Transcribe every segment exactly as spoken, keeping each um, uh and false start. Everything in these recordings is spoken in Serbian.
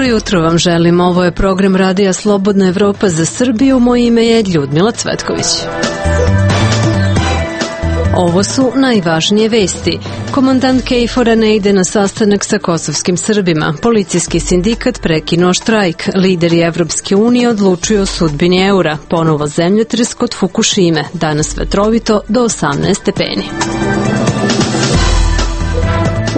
jutro vam želim. Ovo je program Radija Slobodna Evropa za Srbiju. Moje ime je Ljudmila Cvetković. Ovo su najvažnije vesti. Komandant KFOR-a ne ide na sastanak sa kosovskim Srbima. Policijski sindikat prekinuo štrajk. Lideri Evropske unije odlučuju o sudbini eura. Ponovo zemljotres kod Fukušime. Danas vetrovito do osamnaest stepeni.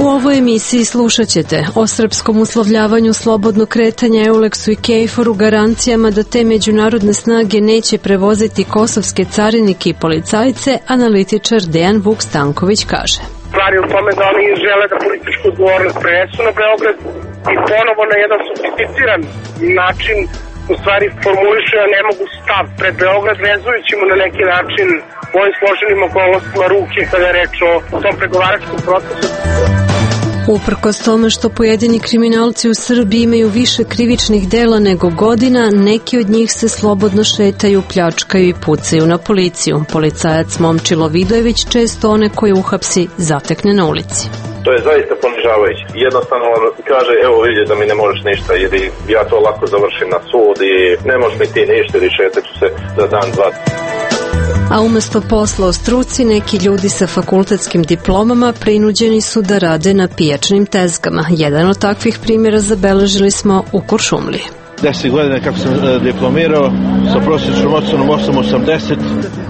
U ovoj emisiji slušat ćete o srpskom uslovljavanju slobodnog kretanja EULEX-u i KFOR-u, garancijama da te međunarodne snage neće prevoziti kosovske carinike i policajce, analitičar Dejan Vuk Stanković kaže. Stvar je u tome da oni žele da političku odgovornost prenesu na Beograd i ponovo na jedan sofisticiran način u stvari formulišu, a ne mogu stav pred Beograd, vezujući mu na neki način u ovim složenim okolnostima ruke kada je reč o tom pregovaračkom procesu. Uprkos tome što pojedini kriminalci u Srbiji imaju više krivičnih dela nego godina, neki od njih se slobodno šetaju, pljačkaju i pucaju na policiju. Policajac Momčilo Vidojević često one koje uhapsi zatekne na ulici. To je zaista ponižavajuće. Jednostavno kaže, evo vidi da mi ne možeš ništa, jer ja to lako završim na sud i ne možeš mi ti ništa, ili šetat ću se za dan, dva. A umesto posla u struci, neki ljudi sa fakultetskim diplomama prinuđeni su da rade na pijačnim tezgama. Jedan od takvih primjera zabeležili smo u Kuršumliji. Deset godina kako sam diplomirao, sa prosječnom ocenom osam osamdeset,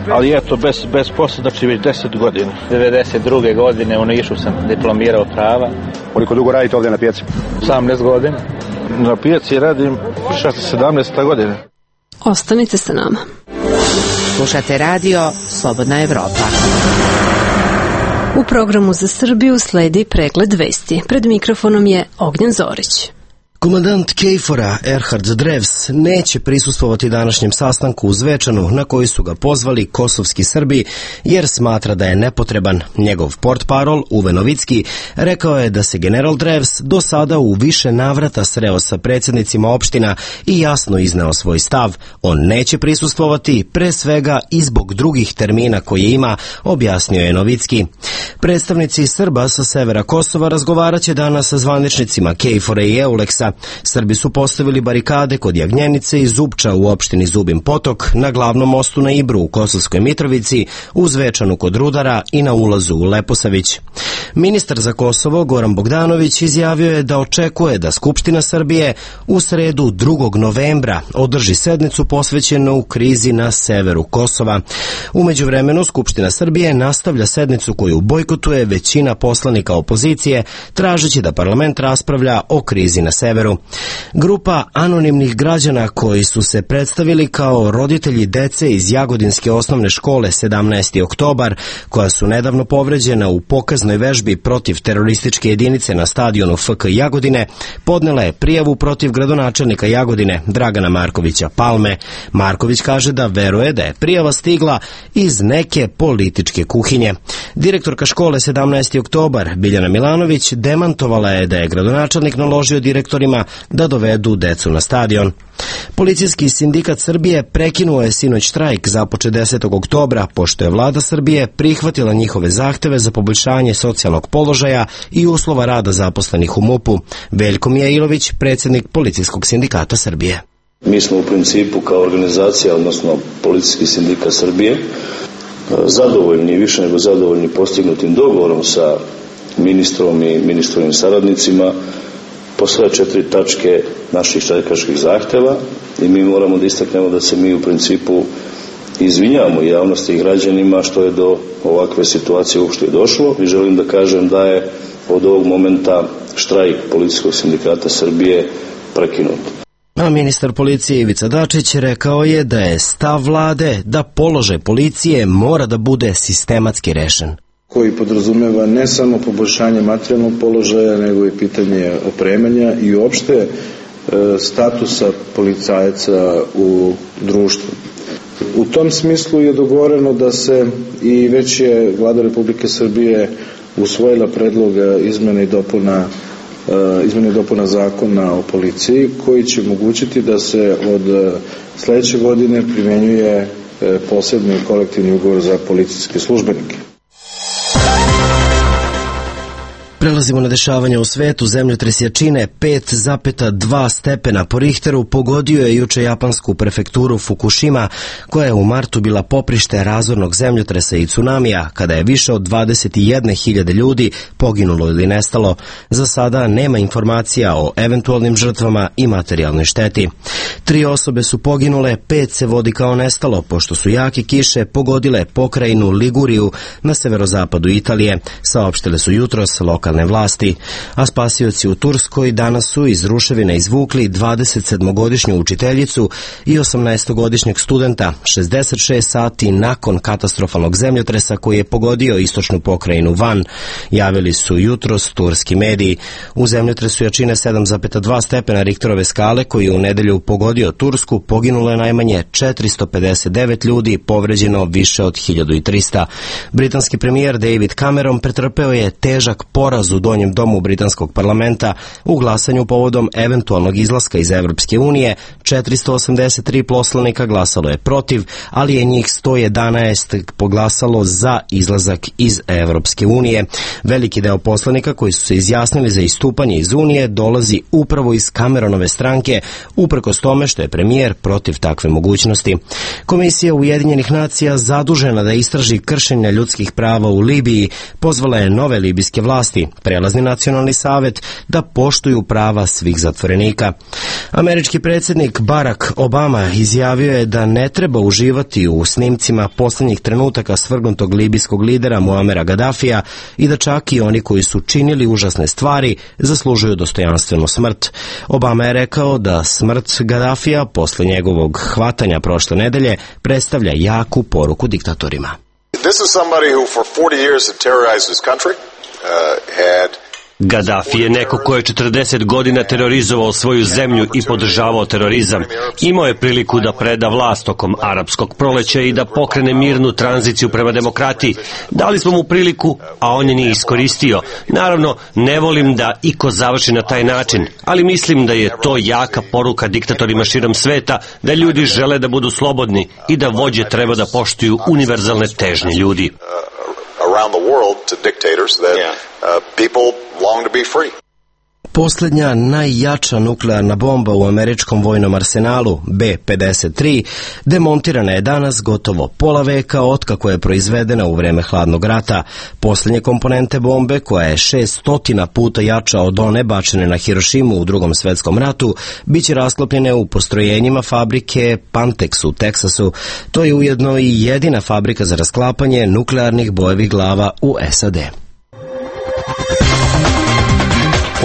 ali eto, bez, bez posla, znači već deset godina. devedeset druge godine u Nišu sam diplomirao prava. Koliko dugo radite ovdje na pijaci? osamnaest godina. Na pijaci radim šesnaesta sedamnaesta godina. Ostanite sa nama. Slušate radio Slobodna Evropa. U programu za Srbiju sledi pregled vesti. Pred mikrofonom je Ognjen Zorić. Komandant KFOR-a Erhard Drevs neće prisustvovati današnjem sastanku u Zvečanu na koji su ga pozvali kosovski Srbi jer smatra da je nepotreban. Njegov portparol Uwe Novicki rekao je da se general Drevs do sada u više navrata sreo sa predsjednicima opština i jasno izneo svoj stav. On neće prisustvovati pre svega i zbog drugih termina koje ima, objasnio je Novicki. Predstavnici Srba sa severa Kosova razgovarat će danas sa zvaničnicima KFOR-a i EULEX-a. Srbi su postavili barikade kod Jagnjenice i Zupča u opštini Zubin Potok, na glavnom mostu na Ibru u Kosovskoj Mitrovici, u Zvečanu kod Rudara i na ulazu u Leposavić. Ministar za Kosovo Goran Bogdanović izjavio je da očekuje da Skupština Srbije u sredu drugog novembra održi sednicu posvećenu u krizi na severu Kosova. U međuvremenu Skupština Srbije nastavlja sednicu koju bojkotuje većina poslanika opozicije, tražeći da parlament raspravlja o krizi na severu. Grupa anonimnih građana koji su se predstavili kao roditelji dece iz Jagodinske osnovne škole sedamnaesti oktobar, koja su nedavno povređena u pokaznoj vežbi protiv terorističke jedinice na stadionu F K Jagodine, podnela je prijavu protiv gradonačelnika Jagodine Dragana Markovića Palme. Marković kaže da veruje da je prijava stigla iz neke političke kuhinje. Direktorka škole sedamnaesti oktobar Biljana Milanović demantovala je da je gradonačelnik naložio direktorima da dovedu decu na stadion. Policijski sindikat Srbije prekinuo je sinoć štrajk započet desetog oktobra, pošto je vlada Srbije prihvatila njihove zahteve za poboljšanje socijalnog položaja i uslova rada zaposlenih u MUP-u. Veljko Mijailović, predsjednik Policijskog sindikata Srbije. Mi smo u principu kao organizacija, odnosno Policijski sindikat Srbije, zadovoljni, više nego zadovoljni postignutim dogovorom sa ministrom i ministrovim saradnicima po sve četiri tačke naših štrajkaških zahteva, i mi moramo da istaknemo da se mi u principu izvinjavamo javnosti i građanima što je do ovakve situacije uopšte došlo, i želim da kažem da je od ovog momenta štrajk Policijskog sindikata Srbije prekinut. A ministar policije Ivica Dačić rekao je da je stav vlade da položaj policije mora da bude sistematski rešen, koji podrazumeva ne samo poboljšanje materijalnog položaja, nego i pitanje opremanja i uopšte e, statusa policajaca u društvu. U tom smislu je dogovoreno da se, i već je Vlada Republike Srbije usvojila predlog izmene i dopuna izmene i dopuna zakona o policiji, koji će omogućiti da se od sledeće godine primenjuje posebni kolektivni ugovor za policijske službenike. Prelazimo na dešavanja u svetu. Zemljotres jačine pet zarez dva stepena po Richteru pogodio je juče japansku prefekturu Fukushima, koja je u martu bila poprište razornog zemljotresa i tsunamija, kada je više od dvadeset jedne hiljade ljudi poginulo ili nestalo. Za sada nema informacija o eventualnim žrtvama i materijalnoj šteti. Tri osobe su poginule, pet se vodi kao nestalo, pošto su jake kiše pogodile pokrajinu Liguriju na severozapadu Italije, saopštile su jutros lokalne vlasti. A spasioci u Turskoj danas su iz ruševina izvukli dvadesetsedmogodišnju učiteljicu i osamnaestogodišnjeg studenta, šezdeset šest sati nakon katastrofalnog zemljotresa koji je pogodio istočnu pokrajinu Van, javili su jutros turski mediji. U zemljotresu jačine sedam zarez dva stepena Richterove skale, koji je u nedelju pogodio Tursku, poginulo je najmanje četiristo pedeset devet ljudi, povređeno više od hiljadu trista. Britanski premijer David Cameron pretrpeo je težak poraz u donjem domu britanskog parlamenta u glasanju povodom eventualnog izlaska iz Evropske unije. četiristo osamdeset tri poslanika glasalo je protiv, ali je njih sto jedanaest poglasalo za izlazak iz Evropske unije. Veliki deo poslanika koji su se izjasnili za istupanje iz Unije dolazi upravo iz Cameronove stranke, uprkos tome što je premijer protiv takve mogućnosti. Komisija Ujedinjenih nacija zadužena da istraži kršenja ljudskih prava u Libiji pozvala je nove libijske vlasti, prelazni nacionalni savet, da poštuju prava svih zatvorenika. Američki predsjednik Barack Obama izjavio je da ne treba uživati u snimcima posljednjih trenutaka svrgnutog libijskog lidera Muamera Gaddafija i da čak i oni koji su činili užasne stvari zaslužuju dostojanstvenu smrt. Obama je rekao da smrt Gaddafija posle njegovog hvatanja prošle nedelje predstavlja jaku poruku diktatorima. This is somebody who for forty years had terrorized his country, uh, had Gaddafi je neko ko je četrdeset godina terorizovao svoju zemlju i podržavao terorizam. Imao je priliku da preda vlast tokom arapskog proleća i da pokrene mirnu tranziciju prema demokratiji. Dali smo mu priliku, a on je nije iskoristio. Naravno, ne volim da iko završi na taj način, ali mislim da je to jaka poruka diktatorima širom sveta, da ljudi žele da budu slobodni i da vođe treba da poštuju univerzalne težnje ljudi. Around the world to dictators that uh, people long to be free. Posljednja najjača nuklearna bomba u američkom vojnom arsenalu, B pedeset tri, demontirana je danas gotovo pola veka otkako je proizvedena u vreme hladnog rata. Posljednje komponente bombe, koja je šeststotina puta jača od one bačene na Hirošimu u Drugom svetskom ratu, bit će rasklopljene u postrojenjima fabrike Pantex u Teksasu. To je ujedno i jedina fabrika za rasklapanje nuklearnih bojevih glava u S A D.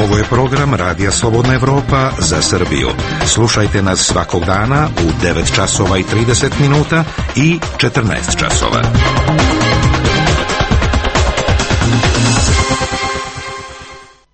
Ovo je program Radija Slobodna Evropa za Srbiju. Slušajte nas svakog dana u devet časova i trideset minuta i četrnaest časova.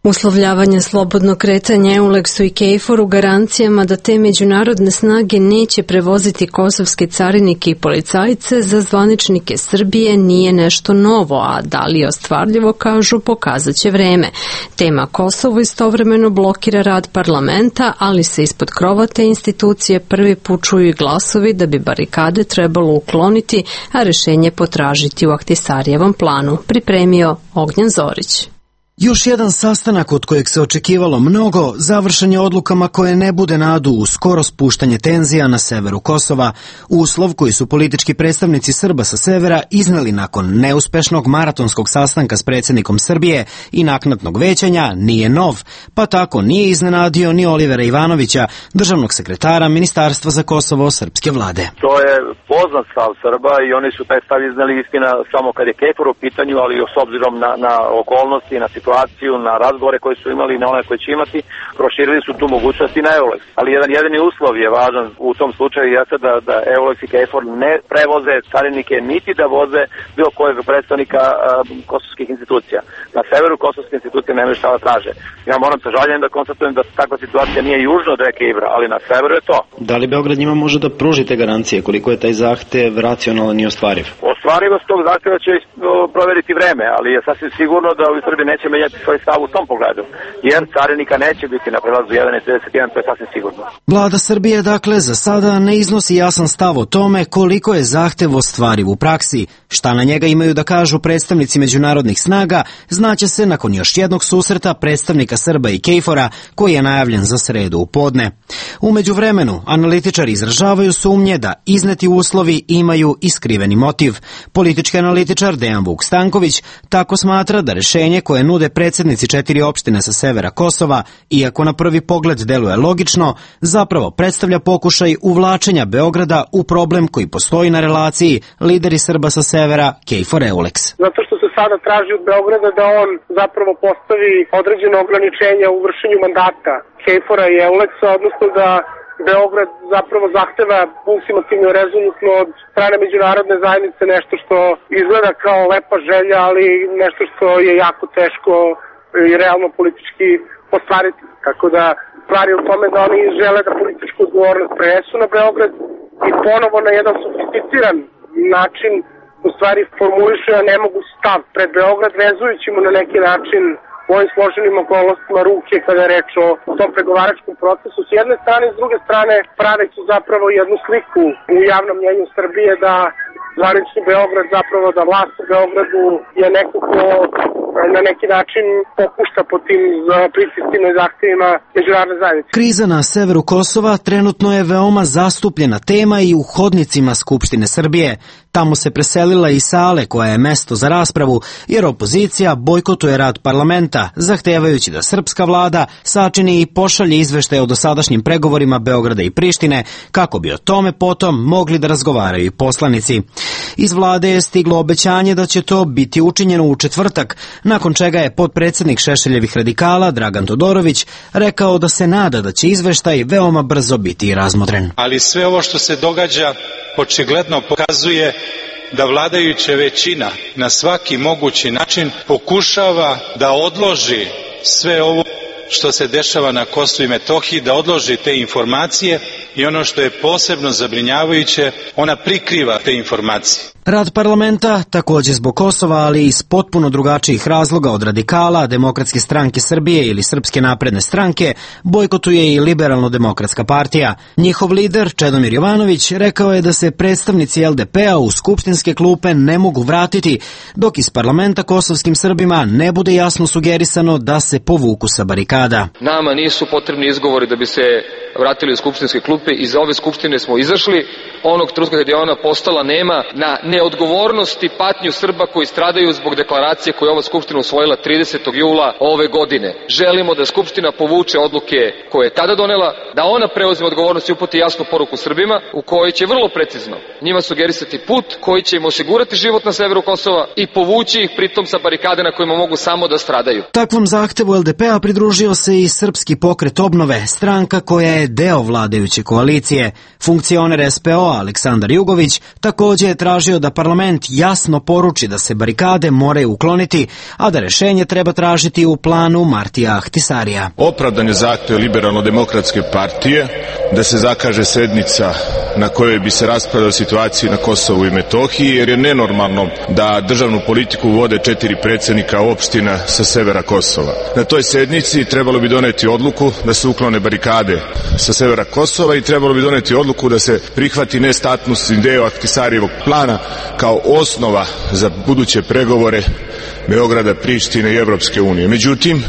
Uslovljavanje slobodnog kretanja Eulexu i Kejforu garancijama da te međunarodne snage neće prevoziti kosovske carinike i policajce za zvaničnike Srbije nije nešto novo, a da li je ostvarljivo, kažu, pokazat će vreme. Tema Kosovo istovremeno blokira rad parlamenta, ali se ispod krova te institucije prvi put čuju i glasovi da bi barikade trebalo ukloniti, a rešenje potražiti u Ahtisarijevom planu, pripremio Ognjan Zorić. Još jedan sastanak od kojeg se očekivalo mnogo završen je odlukama koje ne bude nadu u skoro spuštanje tenzija na severu Kosova, uslov koji su politički predstavnici Srba sa severa izneli nakon neuspešnog maratonskog sastanka s predsjednikom Srbije i naknadnog većanja nije nov, pa tako nije iznenadio ni Olivera Ivanovića, državnog sekretara Ministarstva za Kosovo srpske vlade. To je poznat stav Srba i oni su taj stav izneli, istina, samo kad je Kejfor u pitanju, ali s obzirom na, na okolnosti, na situaciju, na razgovore koje su imali i na one koje će imati, proširili su tu mogućnost i na Eulex. Ali jedan jedini uslov je važan u tom slučaju jeste da, da Eulex i Kejfor ne prevoze carinike niti da voze bilo kojeg predstavnika uh, kosovskih institucija. Na severu kosovske institucije nemaju šta da traže. Ja moram sa žaljenjem da konstatujem da takva situacija nije južno od reke Ibra, ali na severu je to. Da li Beograd njima može da pruži te garancije? Koliko je taj zahtev racionalan i ostvariv? Ostvarivost tog zahtjeva će proveriti vreme, ali je sasvim sigurno da u Srbiji neće menjati svoj stav u tom pogledu, jer carinika neće biti na prelazu jedan i trideset jedan, to je sasvim sigurno. Vlada Srbije, dakle, za sada ne iznosi jasan stav o tome koliko je zahtev ostvariv u praksi. Šta na njega imaju da kažu predstavnici međunarodnih snaga, znaće se nakon još jednog susreta predstavnika Srba i KFOR-a, koji je najavljen za sredu u podne. U međuvremenu, analitičari izražavaju sumnje da izneti uslovi imaju iskriveni motiv. Politički analitičar Dejan Vuk Stanković tako smatra da rešenje koje nude predsjednici četiri opštine sa severa Kosova, iako na prvi pogled deluje logično, zapravo predstavlja pokušaj uvlačenja Beograda u problem koji postoji na relaciji lideri Srba sa severa KFOR-EULEX. Zato što se sada traži od Beograda da on zapravo postavi određene ograničenja u vršenju mandata KFOR-a i EULEX-a, odnosno da Beograd zapravo zahteva ultimativno i rezolutno od strane međunarodne zajednice nešto što izgleda kao lepa želja, ali nešto što je jako teško i realno politički ostvariti. Tako da stvar je u tome da oni žele da političku odgovornost prenesu na Beograd i ponovo na jedan sofisticiran način u stvari formulišu, a ne mogu stav pred Beograd, vezujući mu na neki način u ovim složenim okolnostima ruke kada je reč o tom pregovaračkom procesu. S jedne strane, s druge strane praveći zapravo jednu sliku u javnom mnjenju Srbije da zvanični Beograd, zapravo da vlast u Beogradu je neko ko na neki način popušta po tim pritiscima i zahtjevima međunarodne zajednice. Kriza na severu Kosova trenutno je veoma zastupljena tema i u hodnicima Skupštine Srbije. Tamo se preselila i sale koja je mesto za raspravu, jer opozicija bojkotuje rad parlamenta, zahtevajući da srpska vlada sačini i pošalje izveštaje o dosadašnjim pregovorima Beograda i Prištine, kako bi o tome potom mogli da razgovaraju i poslanici. Iz vlade je stiglo obećanje da će to biti učinjeno u četvrtak, nakon čega je potpredsjednik Šešeljevih radikala Dragan Todorović rekao da se nada da će izveštaj veoma brzo biti razmotren. Ali sve ovo što se događa očigledno pokazuje da vladajuća većina na svaki mogući način pokušava da odloži sve ovo što se dešava na Kosovu i Metohiji, da odloži te informacije i ono što je posebno zabrinjavajuće, ona prikriva te informacije. Rad parlamenta, također zbog Kosova, ali iz potpuno drugačijih razloga od radikala, Demokratske stranke Srbije ili Srpske napredne stranke, bojkotuje i Liberalno-demokratska partija. Njihov lider, Čedomir Jovanović, rekao je da se predstavnici L D P-a u skupštinske klupe ne mogu vratiti, dok iz parlamenta kosovskim Srbima ne bude jasno sugerisano da se povuku sa barikada. Nama nisu potrebni izgovori da bi se vratili u skupštinske klupe. Iz ove skupštine smo izašli onog trenutka kad je ona postala nema na neodgovornost i patnju Srba koji stradaju zbog deklaracije koju je ova skupština usvojila tridesetog jula ove godine. Želimo da skupština povuče odluke koje je tada donela, da ona preuzme odgovornost i uputi jasnu poruku Srbima u kojoj će vrlo precizno njima sugerisati put koji će im osigurati život na severu Kosova i povući ih pritom sa barikade na kojima mogu samo da stradaju. Takvom zahtevu L D P-a pridružio se i Srpski pokret obnove, stranka koja je deo vladajuće koalicije. Funkcioner S P O Aleksandar Jugović također je tražio da parlament jasno poruči da se barikade moraju ukloniti, a da rešenje treba tražiti u planu Martija Ahtisarija. Opravdan je zahtev Liberalno-demokratske partije da se zakaže sednica na kojoj bi se raspravljala situaciji na Kosovu i Metohiji, jer je nenormalno da državnu politiku vode četiri predsjednika opština sa severa Kosova. Na toj sednici trebalo bi doneti odluku da se uklone barikade sa severa Kosova i trebalo bi doneti odluku da se prihvati nestatusni deo Ahtisarijevog plana kao osnova za buduće pregovore Beograda, Prištine i Evropske unije. Međutim,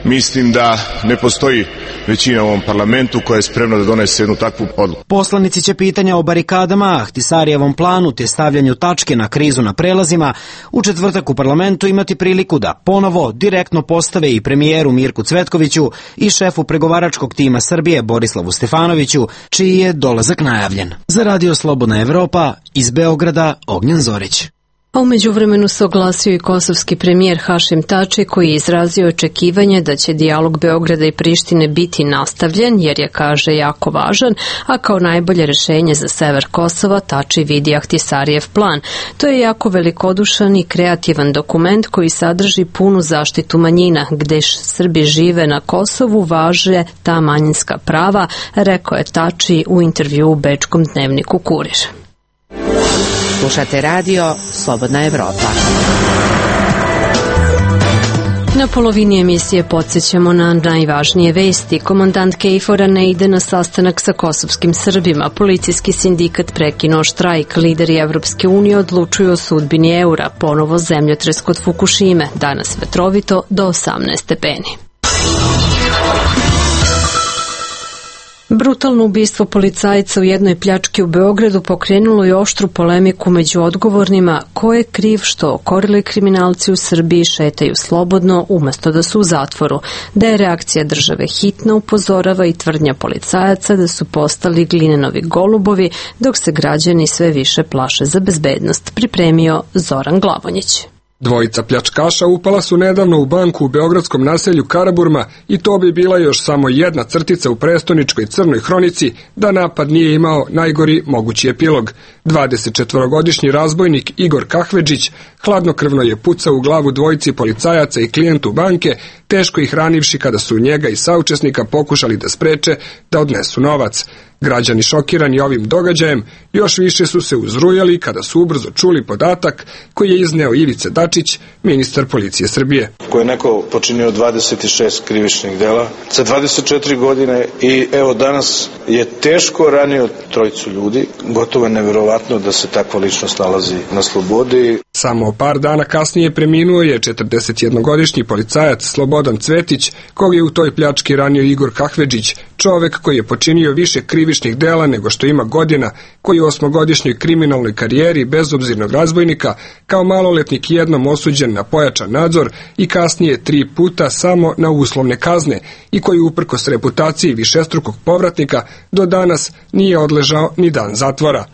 mislim da ne postoji većina u ovom parlamentu koja je spremna da donese jednu takvu odluku. Poslanici će pitanja o barikadama, Ahtisarijevom planu te stavljanju tačke na krizu na prelazima u četvrtak u parlamentu imati priliku da ponovo direktno postave i premijeru Mirku Cvetkoviću i šefu pregovaračkog tima Srbije Borislavu Stefanoviću, čiji je dolazak najavljen. Za Radio Slobodna Evropa, iz Beograda, Ognjen Zorić. A u međuvremenu se oglasio i kosovski premijer Hašim Tači, koji je izrazio očekivanje da će dijalog Beograda i Prištine biti nastavljen, jer je, kaže, jako važan, a kao najbolje rešenje za sever Kosova Tači vidi Ahtisarijev plan. To je jako velikodušan i kreativan dokument koji sadrži punu zaštitu manjina, gde Srbi žive na Kosovu važe ta manjinska prava, rekao je Tači u intervju u bečkom dnevniku Kurir. Slušate radio Slobodna Evropa. Na polovini emisije podsjećamo na najvažnije vesti. Komandant Kejfora ne ide na sastanak sa kosovskim Srbima. Policijski sindikat prekinuo štrajk. Lideri Evropske unije odlučuju o sudbini eura. Ponovo zemljotres kod Fukušime. Danas vetrovito do osamnaest stepeni. Brutalno ubistvo policajca u jednoj pljački u Beogradu pokrenulo je oštru polemiku među odgovornima ko je kriv što okorili kriminalci u Srbiji šetaju slobodno umesto da su u zatvoru, da je reakcija države hitna upozorava i tvrdnja policajaca da su postali glinenovi golubovi dok se građani sve više plaše za bezbednost, pripremio Zoran Glavonjić. Dvojica pljačkaša upala su nedavno u banku u beogradskom naselju Karaburma i to bi bila još samo jedna crtica u prestoničkoj crnoj hronici da napad nije imao najgori mogući epilog. dvadesetčetvorogodišnji razbojnik Igor Kahvedžić hladnokrvno je pucao u glavu dvojici policajaca i klijentu banke, teško ih ranivši kada su njega i saučesnika pokušali da spreče da odnesu novac. Građani šokirani ovim događajem još više su se uzrujali kada su ubrzo čuli podatak koji je izneo Ivica Dačić, ministar policije Srbije. Ko je neko počinio dvadeset šest krivičnih dela za dvadeset četiri godine i evo danas je teško ranio trojicu ljudi. Gotovo je neverovatno da se takva ličnost nalazi na slobodi. Samo par dana kasnije preminuo je četrdesetjednogodišnji policajac Slobodan Cvetić, kog je u toj pljački ranio Igor Kahvedžić, čovek koji je počinio više krivičnih dela nego što ima godina, koji u osmogodišnjoj kriminalnoj karijeri bezobzirnog razbojnika kao maloletnik jednom osuđen na pojačan nadzor i kasnije tri puta samo na uslovne kazne i koji uprkos reputaciji višestrukog povratnika do danas nije odležao ni dan zatvora.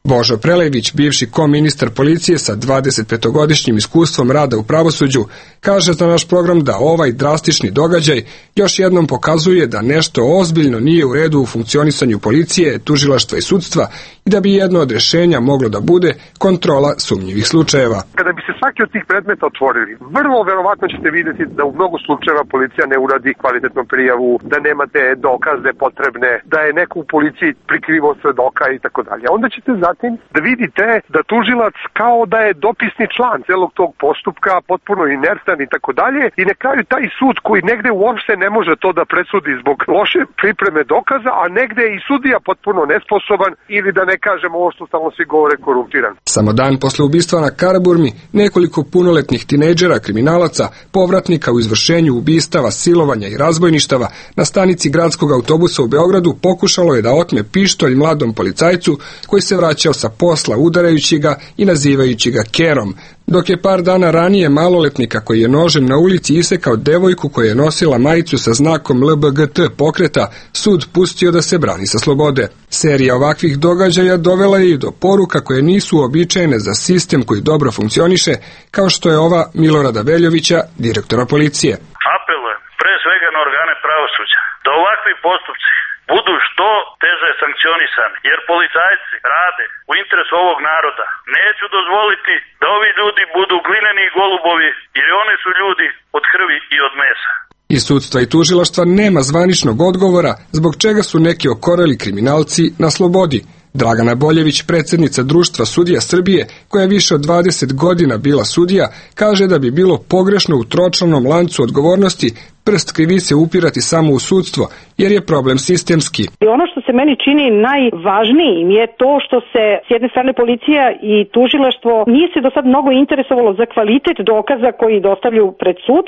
Božo Prelević, bivši koministar policije sa dvadesetpetogodišnjim iskustvom rada u pravosuđu, kaže za naš program da ovaj drastični događaj još jednom pokazuje da nešto ozbiljno nije u redu u funkcionisanju policije, tužilaštva i sudstva i da bi jedno od rješenja moglo da bude kontrola sumnjivih slučajeva. Kada bi se svaki od tih predmeta otvorili, vrlo verovatno ćete vidjeti da u mnogo slučajeva policija ne uradi kvalitetnu prijavu, da nemate dokaze potrebne, da je neko u policiji prikrivao svedoka i tako dalje. Onda ćete zatim da vidite da tužilac kao da je dopisni član celog tog postupka, potpuno inertan i tako dalje, i na kraju taj sud koji negde uopšte ne može to da presudi zbog loše pripreme dokaza, a negde je i sudija potpuno nesposoban ili da ne kažem ovo što stalno svi govore korumpiran. Samo dan posle ubistva na Karaburmi, nekoliko punoletnih tinejdžera kriminalaca, povratnika u izvršenju ubistava, silovanja i razbojništava na stanici gradskog autobusa u Beogradu pokušalo je da otme pištolj mladom policajcu koji se vraćao sa posla udarajući ga i nazivajući ga kerom, dok je par dana ranije maloletnika koji je nožem na ulici isekao devojku koja je nosila majicu sa znakom L B G T pokreta sud pustio da se brani sa slobode. Serija ovakvih događaja dovela je i do poruka koje nisu uobičajene za sistem koji dobro funkcioniše, kao što je ova Milorada Veljovića, direktora policije. Apelujem pre svega na organe pravosuđa da ovakvi postupci budu što teže sankcionisani, jer policajci rade u interesu ovog naroda. Neću dozvoliti da ovi ljudi budu glineni golubovi, jer oni su ljudi od krvi i od mesa. Iz sudstva i tužilaštva nema zvaničnog odgovora zbog čega su neki okoreli kriminalci na slobodi. Dragana Boljević, predsjednica Društva sudija Srbije, koja je više od dvadeset godina bila sudija, kaže da bi bilo pogrešno u tročlanom lancu odgovornosti prst krivice upirati samo u sudstvo, jer je problem sistemski. Ono što se meni čini najvažnijim je to što se s jedne strane policija i tužilaštvo nije se do sad mnogo interesovalo za kvalitet dokaza koji dostavljaju pred sud,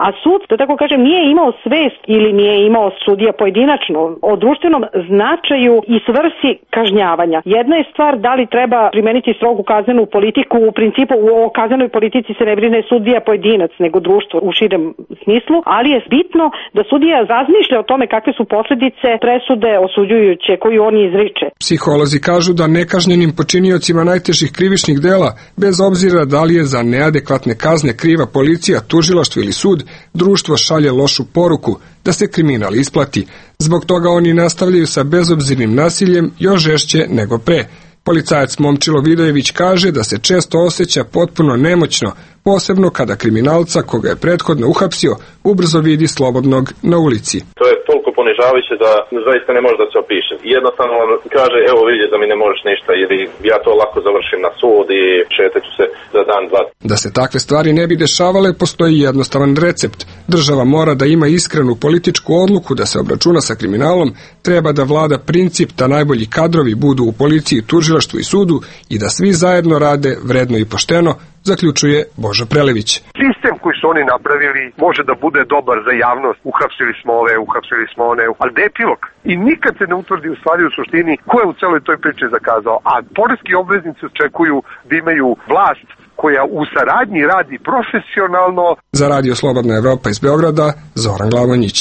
a sud, da tako kažem, nije imao svest ili nije imao sudija pojedinačno o društvenom značaju i svrsi kažnjavanja. Jedna je stvar da li treba primeniti strogu kaznenu politiku, u principu o kaznenoj politici se ne brine sudija pojedinac, nego društvo u širem smislu, ali je bitno da sudija razmišlja o tome kakve su posljedice presude osuđujuće koju on izriče. Psiholozi kažu da nekažnjenim počiniocima najtežih krivičnih dela, bez obzira da li je za neadekvatne kazne kriva policija, tužilaštvo ili sud, društvo šalje lošu poruku da se kriminal isplati. Zbog toga oni nastavljaju sa bezobzirnim nasiljem još žešće nego pre. Policajac Momčilo Vidojević kaže da se često osjeća potpuno nemoćno, posebno kada kriminalca koga je prethodno uhapsio ubrzo vidi slobodnog na ulici. To je toliko ponižavajuće da zaista ne može da se opiše. Jednostavno kaže, evo vidite da mi ne možeš ništa, jer ja to lako završim na sud i šetaću se za dan, dva. Da se takve stvari ne bi dešavale, postoji jednostavan recept. Država mora da ima iskrenu političku odluku da se obračuna sa kriminalom, treba da vlada princip da najbolji kadrovi budu u policiji, tužilaštvu i sudu i da svi zajedno rade vredno i pošteno, zaključuje Božo Prelević. Sistem koji su oni napravili može da bude dobar za javnost. Uhapsili smo ove, uhapsili smo one, ali gde je epilog? I nikad se ne utvrdi u stvari u suštini ko je u celoj toj priči zakazao. A poreski obveznici očekuju da imaju vlast koja u saradnji radi profesionalno. Za Radio Slobodna Evropa iz Beograda, Zoran Glavonjić.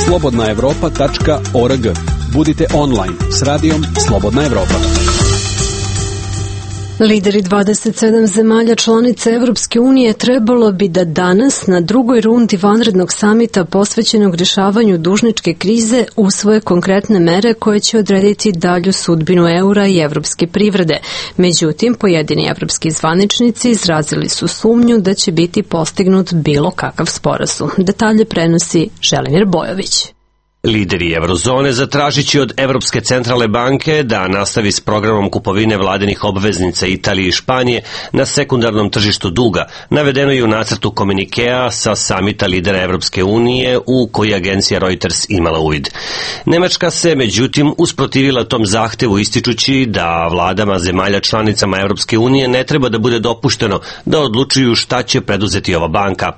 slobodna evropa tačka org. Budite online s radijom Slobodna Evropa. Lideri dvadeset sedam zemalja članica Evropske unije trebalo bi da danas na drugoj rundi vanrednog samita posvećenog rješavanju dužničke krize usvoje konkretne mere koje će odrediti dalju sudbinu eura i evropske privrede. Međutim, pojedini evropski zvaničnici izrazili su sumnju da će biti postignut bilo kakav sporazum. Detalje prenosi Želimir Bojović. Lideri eurozone zatražit će od Evropske centralne banke da nastavi s programom kupovine vladinih obveznica Italije i Španije na sekundarnom tržištu duga, navedeno je u nacrtu komunikea sa samita lidera Evropske unije u koji agencija Reuters imala uvid. Nemačka se, međutim, usprotivila tom zahtevu ističući da vladama zemalja članicama Evropske unije ne treba da bude dopušteno da odlučuju šta će preduzeti ova banka.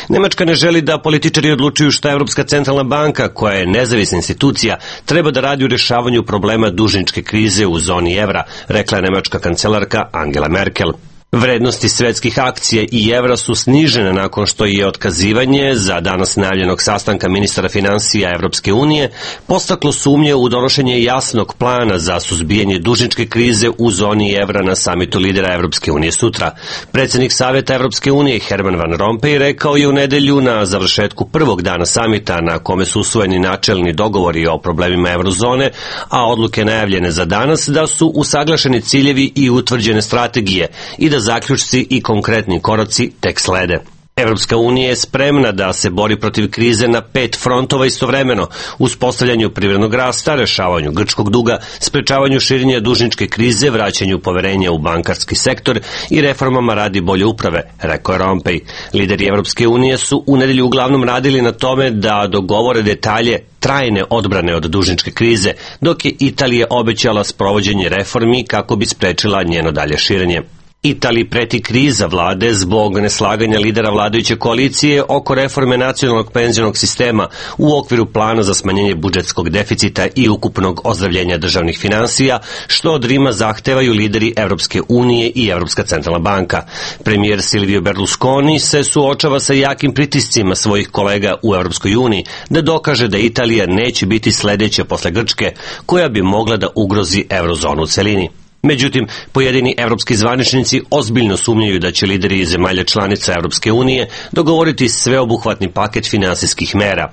Nemačka ne želi da političari odlučuju šta Evropska centralna banka, koja je nezavisna institucija, treba da radi u rješavanju problema dužničke krize u zoni evra, rekla je nemačka kancelarka Angela Merkel. Vrednosti svetskih akcija i evra su snižene nakon što je otkazivanje za danas najavljenog sastanka ministara finansija Evropske unije postaklo sumnje u donošenje jasnog plana za suzbijanje dužničke krize u zoni evra na samitu lidera Evropske unije sutra. Predsjednik Savjeta Evropske unije Herman Van Rompuy rekao je u nedelju na završetku prvog dana samita na kome su usvojeni načelni dogovori o problemima eurozone, a odluke najavljene za danas da su usaglašeni ciljevi i utvrđene strategije i da zaključci i konkretni koraci tek slede. Evropska unija je spremna da se bori protiv krize na pet frontova istovremeno, uspostavljanju privrednog rasta, rešavanju grčkog duga, sprečavanju širenja dužničke krize, vraćanju poverenja u bankarski sektor i reformama radi bolje uprave, rekao je Rompuy. Lideri Evropske unije su u nedelju uglavnom radili na tome da dogovore detalje trajne odbrane od dužničke krize, dok je Italija obećala sprovođenje reformi kako bi sprečila njeno dalje širenje. Italiji preti kriza vlade zbog neslaganja lidera vladajuće koalicije oko reforme nacionalnog penzionog sistema u okviru plana za smanjenje budžetskog deficita i ukupnog ozdravljenja državnih finansija, što od Rima zahtevaju lideri Evropske unije i Evropska centralna banka. Premijer Silvio Berlusconi se suočava sa jakim pritiscima svojih kolega u Evropskoj uniji da dokaže da Italija neće biti sledeća posle Grčke, koja bi mogla da ugrozi eurozonu u celini. Međutim, pojedini evropski zvaničnici ozbiljno sumnjaju da će lideri zemalja članica Evropske unije dogovoriti sveobuhvatni paket finansijskih mera.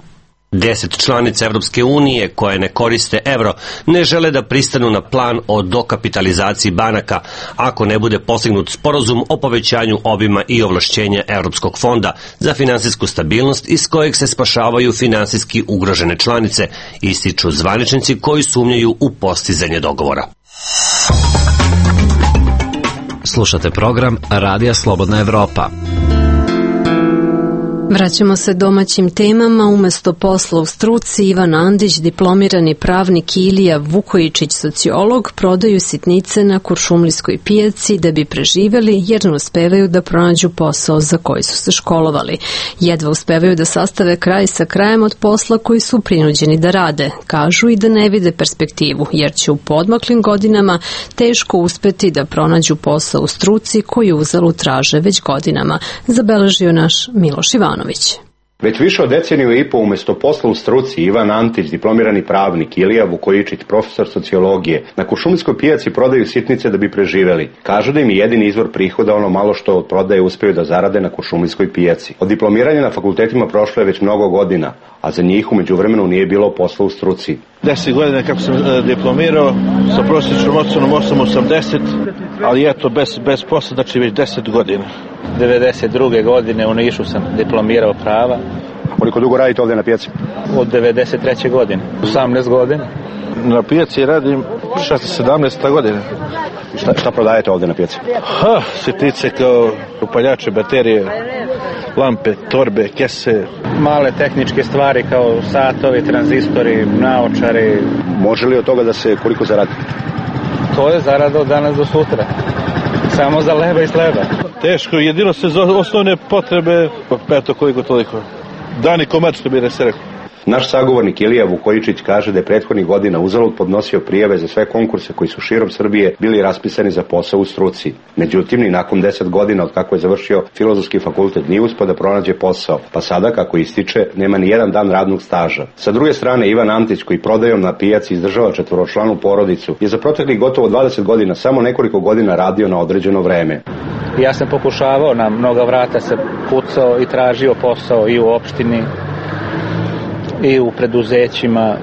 Deset članica Evropske unije koje ne koriste evro ne žele da pristanu na plan o dokapitalizaciji banaka ako ne bude postignut sporazum o povećanju obima i ovlašćenja Evropskog fonda za finansijsku stabilnost iz kojeg se spašavaju finansijski ugrožene članice, ističu zvaničnici koji sumnjaju u postizanje dogovora. Slušate program Radija Slobodna Evropa. Vraćamo se domaćim temama. Umesto posla u struci, Ivan Andić, diplomirani pravnik, i Ilija Vukojičić, sociolog, prodaju sitnice na kuršumlijskoj pijaci da bi preživeli, jer ne uspevaju da pronađu posao za koji su se školovali. Jedva uspevaju da sastave kraj sa krajem od posla koji su prinuđeni da rade. Kažu i da ne vide perspektivu, jer će u podmaklim godinama teško uspeti da pronađu posao u struci koju uzalud traže već godinama, zabeležio naš Miloš Ivanović. Već više od deceniju i po umesto posla u struci Ivan Antić, diplomirani pravnik, Ilija Vukojičić, profesor sociologije, na kuršumlijskoj pijaci prodaju sitnice da bi preživeli. Kažu da im je jedini izvor prihoda ono malo što od prodaje uspeju da zarade na kuršumlijskoj pijaci. Od diplomiranja na fakultetima prošlo je već mnogo godina, a za njih u međuvremenu nije bilo posla u struci. Deset godina kako sam e, diplomirao, sa prosječnom ocenom osam zarez osamdeset, ali eto, bez, bez posla, znači već deset godina. devedeset druge godine u Nišu sam diplomirao prava. Koliko dugo radite ovde na pijaci? Od devedeset treće godine, osamnaest godina. Na pijaci radim šesnaest sedamnaest godina. Šta, šta prodajete ovde na pijaci? Ha, sitnice kao upaljače, baterije, lampe, torbe, kese. Male tehničke stvari kao satovi, tranzistori, naočari. Može li od toga da se koliko zaradi? To je zarada od danas do sutra. Samo za leba i sleba. Teško, jedino se za osnovne potrebe, pa eto koliko toliko. Dani komad, što bi ne se rekao. Naš sagovornik Ilija Vukojičić kaže da je prethodnih godina uzalud podnosio prijave za sve konkurse koji su širom Srbije bili raspisani za posao u struci. Međutim, ni nakon deset godina od kako je završio Filozofski fakultet nije uspeo da pronađe posao, pa sada, kako ističe, nema ni jedan dan radnog staža. Sa druge strane, Ivan Antić, koji prodajom na pijaci izdržava četvoročlanu porodicu, je za proteklih gotovo dvadeset godina samo nekoliko godina radio na određeno vreme. Ja sam pokušavao, na mnoga vrata se pucao i tražio posao i u opštini, i u preduzećima,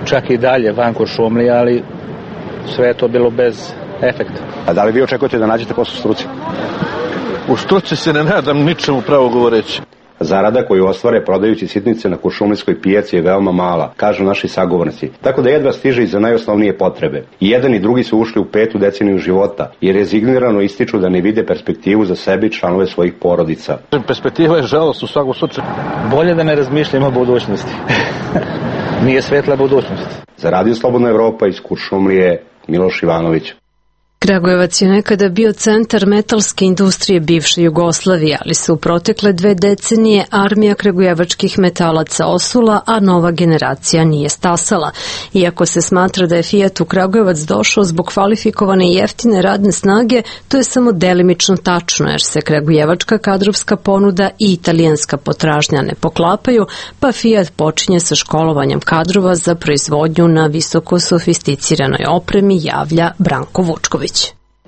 čak i dalje van Kuršumlije, ali sve je to bilo bez efekta. A da li vi očekujete da nađete posao u struci? U struci se ne nadam ničemu, pravo govoreći. Zarada koju ostvare prodajući sitnice na kuršumlijskoj pijaci je veoma mala, kažu naši sagovornici, tako da jedva stiže i za najosnovnije potrebe. I jedan i drugi su ušli u petu deceniju života i rezignirano ističu da ne vide perspektivu za sebe i članove svojih porodica. Perspektiva je žalost u svakom slučaju. Bolje da ne razmišljamo o budućnosti. Nije svetla budućnost. Za Radio Slobodna Evropa iz Kuršumlije, Miloš Ivanović. Kragujevac je nekada bio centar metalske industrije bivše Jugoslavije, ali se u protekle dve decenije armija kragujevačkih metalaca osula, a nova generacija nije stasala. Iako se smatra da je Fiat u Kragujevac došao zbog kvalifikovane i jeftine radne snage, to je samo delimično tačno, jer se kragujevačka kadrovska ponuda i italijanska potražnja ne poklapaju, pa Fiat počinje sa školovanjem kadrova za proizvodnju na visoko sofisticiranoj opremi, javlja Branko Vučković.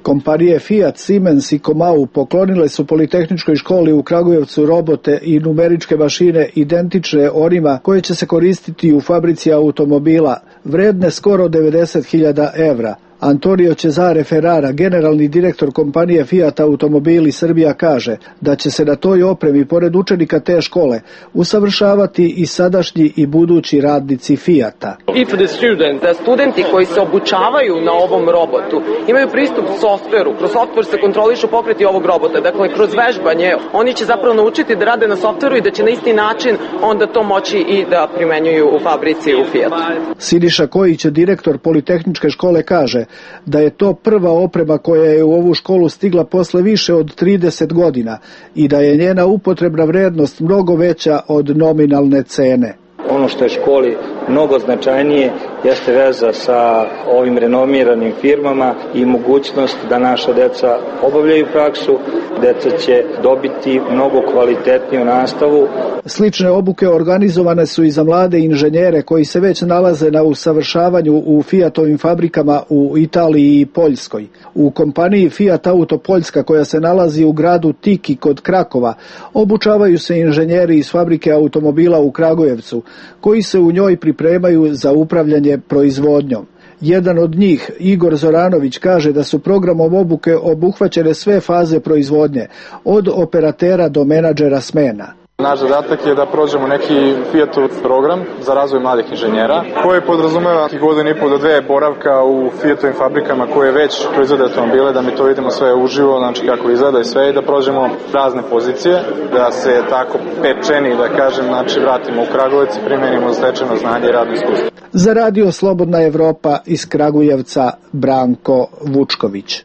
Kompanije Fiat, Siemens i Comau poklonile su Politehničkoj školi u Kragujevcu robote i numeričke mašine identične onima koje će se koristiti u fabrici automobila, vredne skoro devedeset hiljada evra. Antonio Cesare Ferrara, generalni direktor kompanije Fiat Automobili Srbija, kaže da će se na toj opremi, pored učenika te škole, usavršavati i sadašnji i budući radnici Fiata. If the student, da studenti koji se obučavaju na ovom robotu imaju pristup softveru, kroz softver se kontrolišu pokreti ovog robota, dakle kroz vežbanje, oni će zapravo naučiti da rade na softveru i da će na isti način onda to moći i da primenjuju u fabrici u Fiatu. Siniša Kojić, direktor Politehničke škole, kaže da je to prva oprema koja je u ovu školu stigla posle više od trideset godina i da je njena upotrebna vrednost mnogo veća od nominalne cene. Ono što je školi mnogo značajnije jeste veza sa ovim renomiranim firmama i mogućnost da naša deca obavljaju praksu, deca će dobiti mnogo kvalitetniju nastavu. Slične obuke organizovane su i za mlade inženjere koji se već nalaze na usavršavanju u Fiatovim fabrikama u Italiji i Poljskoj. U kompaniji Fiat Auto Poljska, koja se nalazi u gradu Tiki kod Krakova, obučavaju se inženjeri iz fabrike automobila u Kragujevcu, koji se u njoj pripremaju za upravljanje proizvodnjom. Jedan od njih, Igor Zoranović, kaže da su programom obuke obuhvaćene sve faze proizvodnje, od operatera do menadžera smena. Naš zadatak je da prođemo neki Fiatov program za razvoj mladih inženjera, koji podrazumeva godinu i pol do dve boravka u Fiatovim fabrikama koje već proizvode automobile, da mi to vidimo sve uživo, znači kako izgleda i sve, i da prođemo razne pozicije, da se tako pečeni, da kažem, znači vratimo u Kragujevac i primenimo stečeno znanje i radno iskustvo. Za Radio Slobodna Evropa iz Kragujevca, Branko Vučković.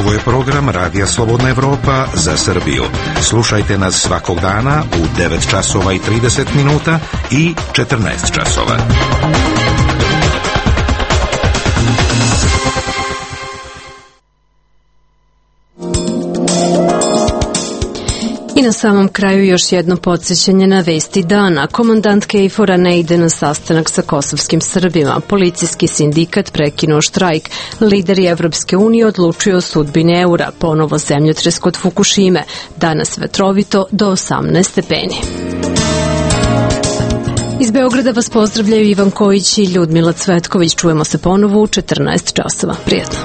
Ovo je program Radija Slobodna Evropa za Srbiju. Slušajte nas svakog dana u devet časova i trideset minuta i četrnaest časova. I na samom kraju još jedno podsjećanje na vesti dana. Komandant Kejfora ne ide na sastanak sa kosovskim Srbima. Policijski sindikat prekinuo štrajk. Lideri Evropske unije odlučuju o sudbini eura. Ponovo zemljotres kod Fukušime. Danas vetrovito do osamnaest stepeni. Iz Beograda vas pozdravljaju Ivan Kojić i Ljudmila Cvetković. Čujemo se ponovo u četrnaest časova. Prijetno.